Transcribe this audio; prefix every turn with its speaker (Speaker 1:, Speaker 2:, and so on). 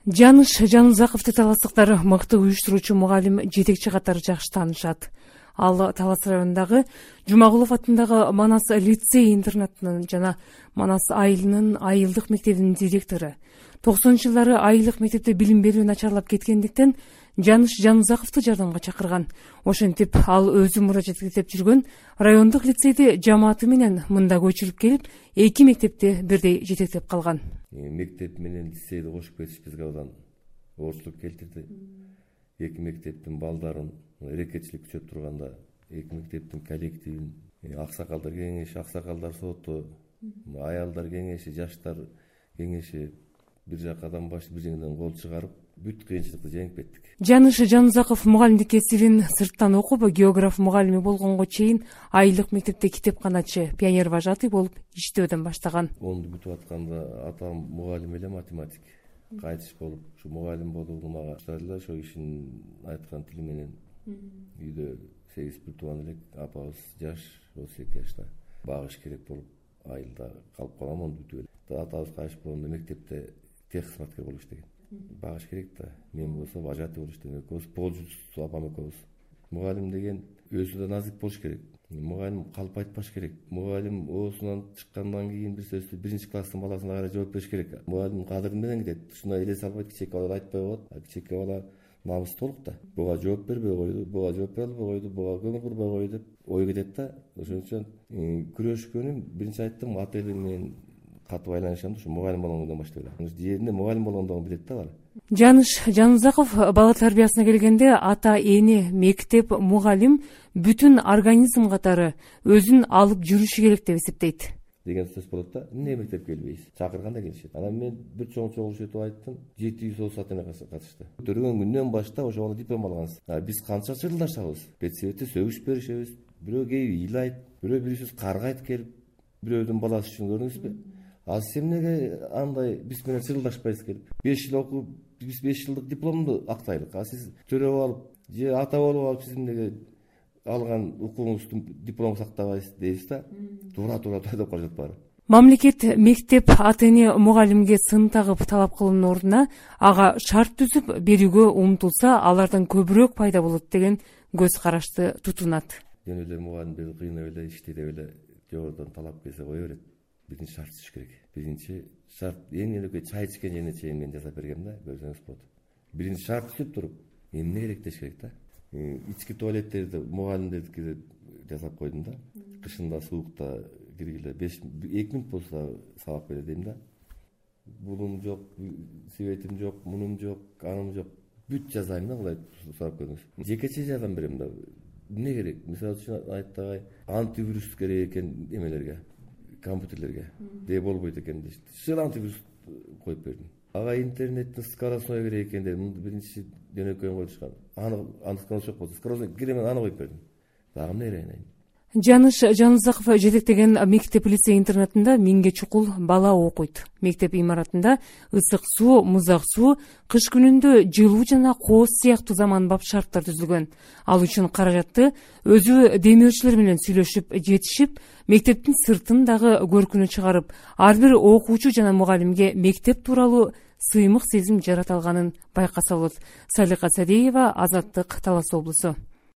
Speaker 1: Жаныш Жанузаковду таластыктар мыкты уюштуруучу мугалим, жетекчи катары жакшы таанышат. Ал Талас районундагы Жумагулов атындагы Манас лицей интернатынын жана Манас айылынын айылдык мектебинин директору. 90-жылдары айылдык мектепте билим берүү начарлап кеткендиктен Жаныш Жанузаковду жардамга чакырган. Ошентип ал өзү муражат этип жүргөн райондук лицейди жамааты менен мында көчүрүп келип, эки мектепти бирдей жетектеп калган.
Speaker 2: Мектеп менен лицейди кошуп кетиш бизге одан оорчулук келтирди. Эки мектептин балдарын эрекетчилик күчөп турганда, эки мектептин коллективин, аксакалдар кеңеши, аксакалдар соту, аялдар кеңеши, жаштар кеңеши бир жакадан баштап бир жеңден кол чыгарып, бүт кыйынчылыкты жеңип кеттик.
Speaker 1: Жаныш Жанузаков мугалимдик кесибин сырттан окуп, географ мугалими болгонго чейин айылдык мектепте китепканачы, пионер вожатый болуп иштөөдөн баштаган.
Speaker 2: Онду бүтүп атканда атам мугалим эле математик. Кайтыш болуп, ушу мугалим болууну мага баштадылар, ошо кишинин айткан тили менен. Үйдө 8 бир тууган элек, апабыз жаш, 32 жашта. Багыш керек болуп, айылда калып калгам, онду бүтүп эле. Атабыз кайтыш болгондо мектепте техкызматкер болуп иштеген. Багыш керек да. Мен болсо вожатый болуп иштеген. Экөөбүз полжус апам экөөбүз. Мугалим деген өзү да назик болуш керек. Мугалим калп айтпаш керек. Мугалим оосунан чыккандан кийин бир сөздү биринчи класстын баласына карай жооп бериш керек. Мугалим кадыры менен кетет. Ушуна эле салбайт, кичээки бала айтпай коет. Кичээки бала намыстуулук да. Буга жооп бербей койду, буга жооп бере албай койду, буга көңүл бурбай койду деп ой кетет да. Ошон үчүн күрөшкөнүм биринчи айттым, ата элим менен катуу байланышам да, ушу мугалим болгондон баштап эле. Жеринде мугалим болгондон билет да бала.
Speaker 1: Жаныш Жанузаков бала тарбиясына келгенде ата, эне, мектеп, мугалим бүтүн организм катары өзүн алып жүрүшү керек деп эсептейт.
Speaker 2: Деген сөз болот да. Эмне мектепке келбейсиз? Чакырганда келишет. Анан мен бир чогулуп айттым, 700 оос ата эне катышты. Көргөн күндөн баштап ошо бала диплом алганбыз. Биз канча чырылдашабыз? Педсоветте сөгүш беришебиз. Бирөө келип ыйлайт, бирөө бирибиз каргайт келип, бирөөдүн баласы үчүн көрдүңүзбү? Ал сен эмнеге андай биз менен чырылдашпайсыз келип? 5 жыл окуп, биз 5 жылдык дипломду актайлык. А сиз төрөп алып, же ата болуп алып, сиз эмнеге алган укугуңузду диплом сактабайсыз дейсиз да? Туура деп калышат баары.
Speaker 1: Мамлекет мектеп ата эне мугалимге сын тагып талап кылуунун ордуна ага шарт түзүп берүүгө умтулса, алардан көбүрөөк пайда болот деген көз карашты тутунат.
Speaker 2: Жөн эле мугалимдерди кыйнап эле, иштей деп эле жогорудон талап келсе кое берет. Биринчи шарт түзүш керек. Биринчи шарт эң эле чай ичкен жерине чейин мен жасап бергем да, көрсөңүз болот. Биринчи шарт түзүп туруп, эмне керек деш керек да. Ички туалеттерди мугалимдердики жасап койдум да. Кышында суукта киргиле 2 мүнөт болсо сабак берет дейм да. Булум жок, светим жок, мунум жок, аным жок. Бүт жазайм да, кулай сурап көрүңүз. Жекече жардам берем да. Эмне керек? Мисалы үчүн айтпагай, антивирус керек экен эмелерге, компьютерлерге. Де болбойт экен дейт. Шыр антивирус коюп бердим. Ага интернеттин скоростной керек экен дедим. Биринчи жөнөкөйүн коюшкан. Аны скорость жок болду. Скоростной киремен аны коюп бердим. Дагы эмне айнайын?
Speaker 1: Жаныш Жанузаков жетектеген мектеп лицей интернатында 1000ге чукул бала окуйт. Мектеп имаратында ысык суу, музак суу, кыш күнүндө жылуу жана кооз сыяктуу заманбап шарттар түзүлгөн. Ал үчүн каражатты өзү демөөрчүлөр менен сүйлөшүп, жетишип, мектептин сыртын дагы көркүнө чыгарып, ар бир окуучу жана мугалимге мектеп тууралуу сыймык сезим жарата алганын байкаса болот. Салика Садеева, Азаттык, Талас облусу.